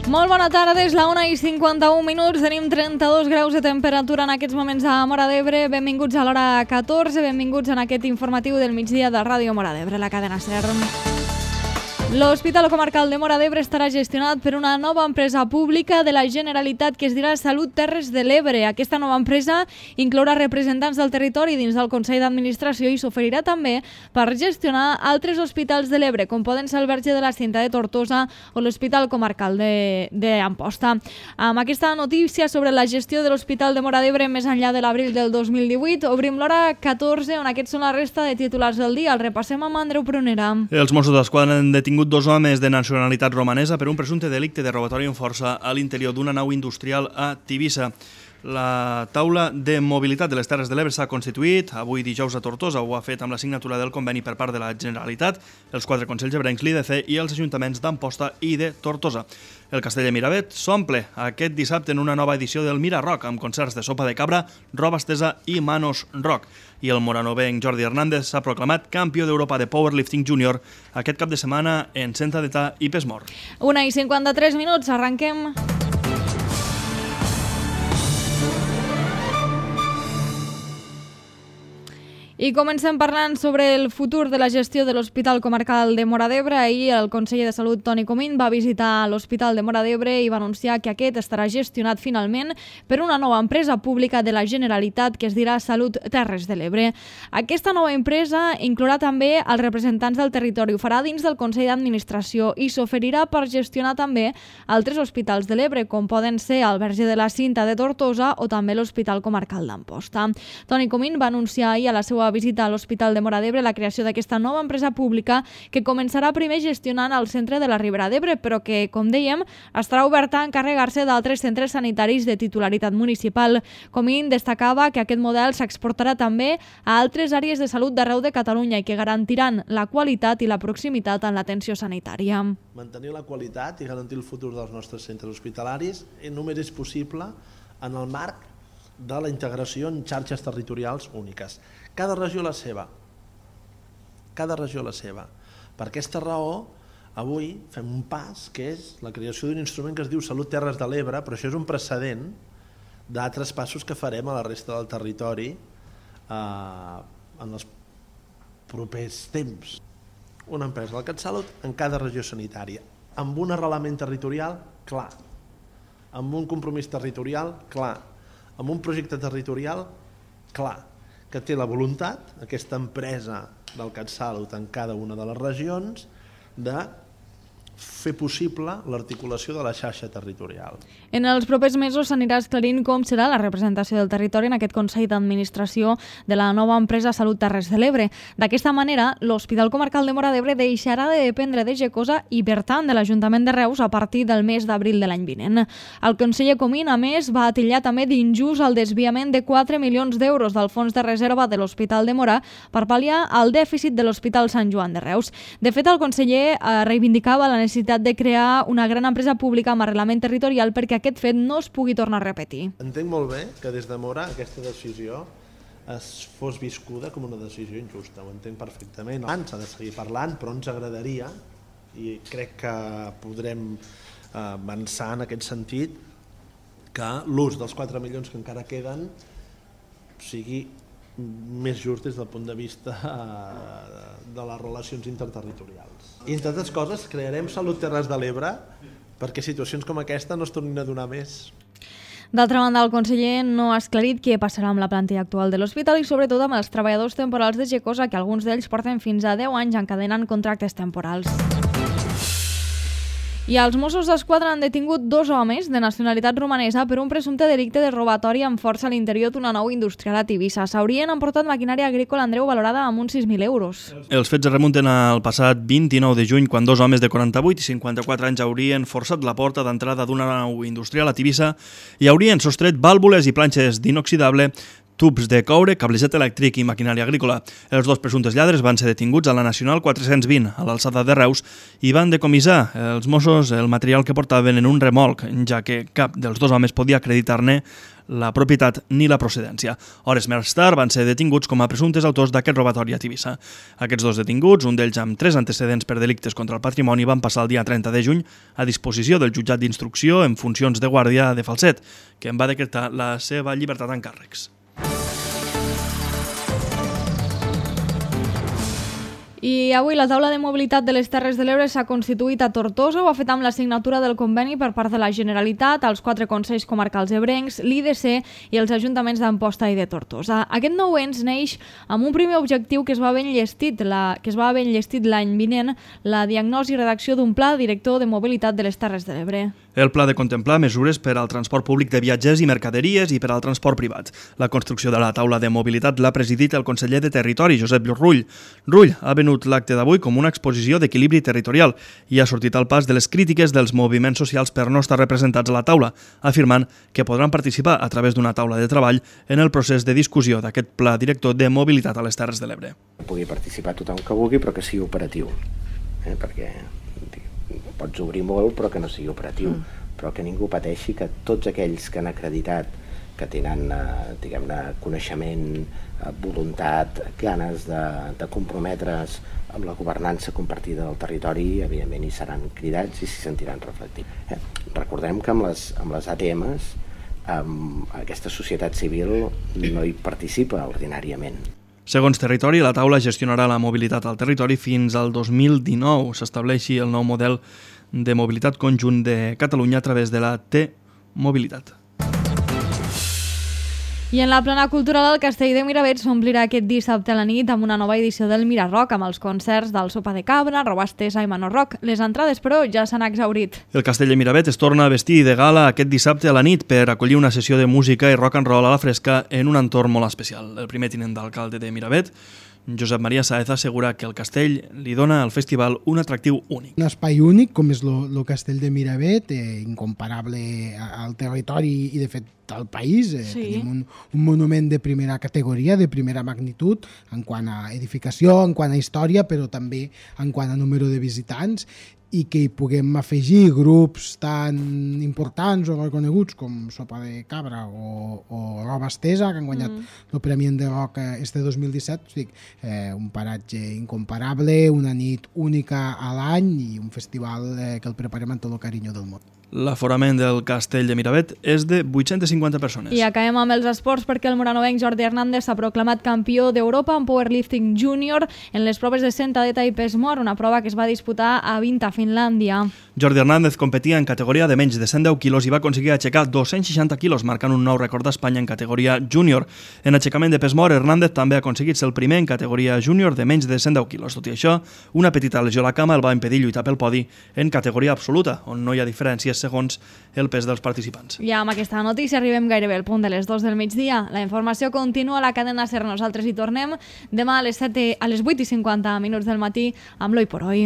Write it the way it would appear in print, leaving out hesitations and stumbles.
Molt bona tarda, és la 1:51, tenim 32 graus de temperatura en aquests moments a Móra d'Ebre. Benvinguts a l'hora 14, benvinguts en aquest informatiu del migdia de Ràdio Móra d'Ebre, la cadena SER. L'Hospital Comarcal de Móra d'Ebre estarà gestionat per una nova empresa pública de la Generalitat que es dirà Salut Terres de l'Ebre. Aquesta nova empresa inclourà representants del territori dins del Consell d'Administració i s'oferirà també per gestionar altres hospitals de l'Ebre, com poden ser el Verge de la Cinta de Tortosa o l'Hospital Comarcal d'Amposta. Amb aquesta notícia sobre la gestió de l'Hospital de Móra d'Ebre més enllà de l'abril del 2018, obrim l'hora 14, on aquests són la resta de titulars del dia. El repassem amb Andreu Prunera. Els Mossos d'Esquadra han detingut dos homes de nacionalitat romanesa per un presumpte delicte de robatori amb força a l'interior d'una nau industrial a Tivissa. La taula de mobilitat de les Terres de l'Ebre s'ha constituït avui dijous a Tortosa. Ho ha fet amb la signatura del conveni per part de la Generalitat, els 4 consells ebrencs, l'IDC i els ajuntaments d'Amposta i de Tortosa. El castell de Miravet s'omple aquest dissabte en una nova edició del Mira Rock, amb concerts de sopa de cabra, roba estesa i manos rock. I el moranovenc Jordi Hernández s'ha proclamat campió d'Europa de Powerlifting Júnior aquest cap de setmana en Senta d'Età i Pesmor. 1:53, arrenquem. I comencem parlant sobre el futur de la gestió de l'Hospital Comarcal de Móra d'Ebre. Ahir el conseller de Salut, Toni Comín, va visitar l'Hospital de Móra d'Ebre i va anunciar que aquest estarà gestionat finalment per una nova empresa pública de la Generalitat que es dirà Salut Terres de l'Ebre. Aquesta nova empresa inclourà també els representants del territori. Ho farà dins del Consell d'Administració i s'oferirà per gestionar també altres hospitals de l'Ebre, com poden ser el Verge de la Cinta de Tortosa o també l'Hospital Comarcal d'Amposta. Toni Comín va anunciar ahir a la seva visita a l'Hospital de Móra d'Ebre la creació d'aquesta nova empresa pública que començarà primer gestionant el centre de la Ribera d'Ebre, però que, com dèiem, estarà oberta a encarregar-se d'altres centres sanitaris de titularitat municipal. Comín destacava que aquest model s'exportarà també a altres àrees de salut d'arreu de Catalunya i que garantiran la qualitat i la proximitat en l'atenció sanitària. Mantenir la qualitat i garantir el futur dels nostres centres hospitalaris només és possible en el marc de la integració en xarxes territorials úniques. Cada regió la seva. Cada regió la seva. Per aquesta raó, avui fem un pas, que és la creació d'un instrument que es diu Salut Terres de l'Ebre, però això és un precedent d'altres passos que farem a la resta del territori en els propers temps. Una empresa del CatSalut en cada regió sanitària, amb un arrelament territorial clar, amb un compromís territorial clar, amb un projecte territorial clar, que té la voluntat, aquesta empresa del CatSalut en cada una de les regions, de fer possible l'articulació de la xarxa territorial. En els propers mesos s'anirà esclarint com serà la representació del territori en aquest Consell d'Administració de la nova empresa Salut Terres de l'Ebre. D'aquesta manera, l'Hospital Comarcal de Móra d'Ebre deixarà de dependre de Gecosa i, per tant, de l'Ajuntament de Reus a partir del mes d'abril de l'any vinent. El conseller Comín, a més, va atillar també d'injust el desviament de 4 milions d'euros del fons de reserva de l'Hospital de Móra per pal·liar el dèficit de l'Hospital Sant Joan de Reus. De fet, el conseller reivindicava la necessitat de crear una gran empresa pública amb arrelament territorial perquè aquest fet no es pugui tornar a repetir. Entenc molt bé que des de Móra aquesta decisió es fos viscuda com una decisió injusta, ho entenc perfectament. S'ha de seguir parlant, però ens agradaria, i crec que podrem avançar en aquest sentit, que l'ús dels 4 milions que encara queden sigui més just des del punt de vista de les relacions interterritorials. I entre altres coses crearem Salut Terres de l'Ebre perquè situacions com aquesta no es tornin a donar més. D'altra banda, el conseller no ha esclarit què passarà amb la plantilla actual de l'hospital i sobretot amb els treballadors temporals de Gecosa, que alguns d'ells porten fins a 10 anys encadenant contractes temporals. I els Mossos d'Esquadra han detingut 2 homes de nacionalitat romanesa per un presumpte delicte de robatori amb força a l'interior d'una nau industrial a Tivissa. S'haurien emportat maquinària agrícola, Andreu, valorada amb uns 6.000 euros. Els fets es remunten al passat 29 de juny, quan 2 homes de 48 i 54 anys haurien forçat la porta d'entrada d'una nau industrial a Tivissa i haurien sostret vàlvules i planxes d'inoxidable, tubs de coure, cablejat elèctric i maquinària agrícola. Els 2 presumptes lladres van ser detinguts a la Nacional 420, a l'alçada de Reus, i van decomissar els Mossos el material que portaven en un remolc, ja que cap dels 2 homes podia acreditar-ne la propietat ni la procedència. Hores més tard van ser detinguts com a presumptes autors d'aquest robatori a Tivissa. Aquests dos detinguts, un d'ells amb 3 antecedents per delictes contra el patrimoni, van passar el dia 30 de juny a disposició del jutjat d'instrucció en funcions de guàrdia de Falset, que en va decretar la seva llibertat en càrrecs. I avui la taula de mobilitat de les Terres de l'Ebre s'ha constituït a Tortosa. Ho ha fet amb la signatura del conveni per part de la Generalitat, els 4 consells comarcals ebrencs, l'IDC i els ajuntaments d'Amposta i de Tortosa. Aquest nou ens neix amb un primer objectiu que es va haver enllestit l'any vinent, la diagnosi i redacció d'un pla director de mobilitat de les Terres de l'Ebre. El pla de contemplar mesures per al transport públic de viatgers i mercaderies i per al transport privat. La construcció de la taula de mobilitat l'ha presidit el conseller de Territori, Josep Rull. Rull ha venut l'acte d'avui com una exposició d'equilibri territorial i ha sortit al pas de les crítiques dels moviments socials per no estar representats a la taula, afirmant que podran participar a través d'una taula de treball en el procés de discussió d'aquest pla director de mobilitat a les Terres de l'Ebre. Pugui participar tothom que vulgui, però que sigui operatiu, perquè pots obrir molt però que no sigui operatiu, però que ningú pateixi, que tots aquells que han acreditat que tenen coneixement, voluntat, ganes de comprometre's amb la governança compartida del territori, evidentment hi seran cridats i s'hi sentiran reflectits. Recordem que amb les ATMs aquesta societat civil no hi participa ordinàriament. Segons Territori, la taula gestionarà la mobilitat al territori fins al 2019. S'estableixi el nou model de mobilitat conjunt de Catalunya a través de la T-Mobilitat. I en la plana cultural, el Castell de Miravet s'omplirà aquest dissabte a la nit amb una nova edició del Mirarock, amb els concerts del Sopa de Cabra, Robast Tesa i Manor Rock. Les entrades, però, ja s'han exhaurit. El Castell de Miravet es torna a vestir de gala aquest dissabte a la nit per acollir una sessió de música i rock and roll a la fresca en un entorn molt especial. El primer tinent d'alcalde de Miravet, Josep Maria Sáez, assegura que el castell li dona al festival un atractiu únic. Un espai únic, com és el castell de Miravet, incomparable al territori i, de fet, al país. Sí. Tenim un monument de primera categoria, de primera magnitud, en quant a edificació, en quant a història, però també en quant a número de visitants, i que hi puguem afegir grups tan importants o reconeguts com Sopa de Cabra o Roba Estesa, que han guanyat el Premi de Rock este 2017. Un paratge incomparable, una nit única a l'any i un festival que el preparem amb tot el carinyo del món. L'aforament del Castell de Miravet és de 850 persones. I acabem amb els esports perquè el moranovenc Jordi Hernández s'ha proclamat campió d'Europa en powerlifting júnior en les proves de sentadeta i pes mort, una prova que es va disputar a Vinta, Finlàndia. Jordi Hernández competia en categoria de menys de 110 quilos i va aconseguir aixecar 260 quilos, marcant un nou rècord d'Espanya en categoria júnior. En aixecament de pes mort, Hernández també ha aconseguit ser el primer en categoria júnior de menys de 110 quilos. Tot i això, una petita lesió a la cama el va impedir lluitar pel podi en categoria absoluta, on no hi ha diferències segons el pes dels participants. I amb aquesta notícia arribem gairebé al punt de les 2 del migdia. La informació continua a la cadena SER. Nosaltres hi tornem demà a les 8:50 del matí amb l'Hoy por Hoy.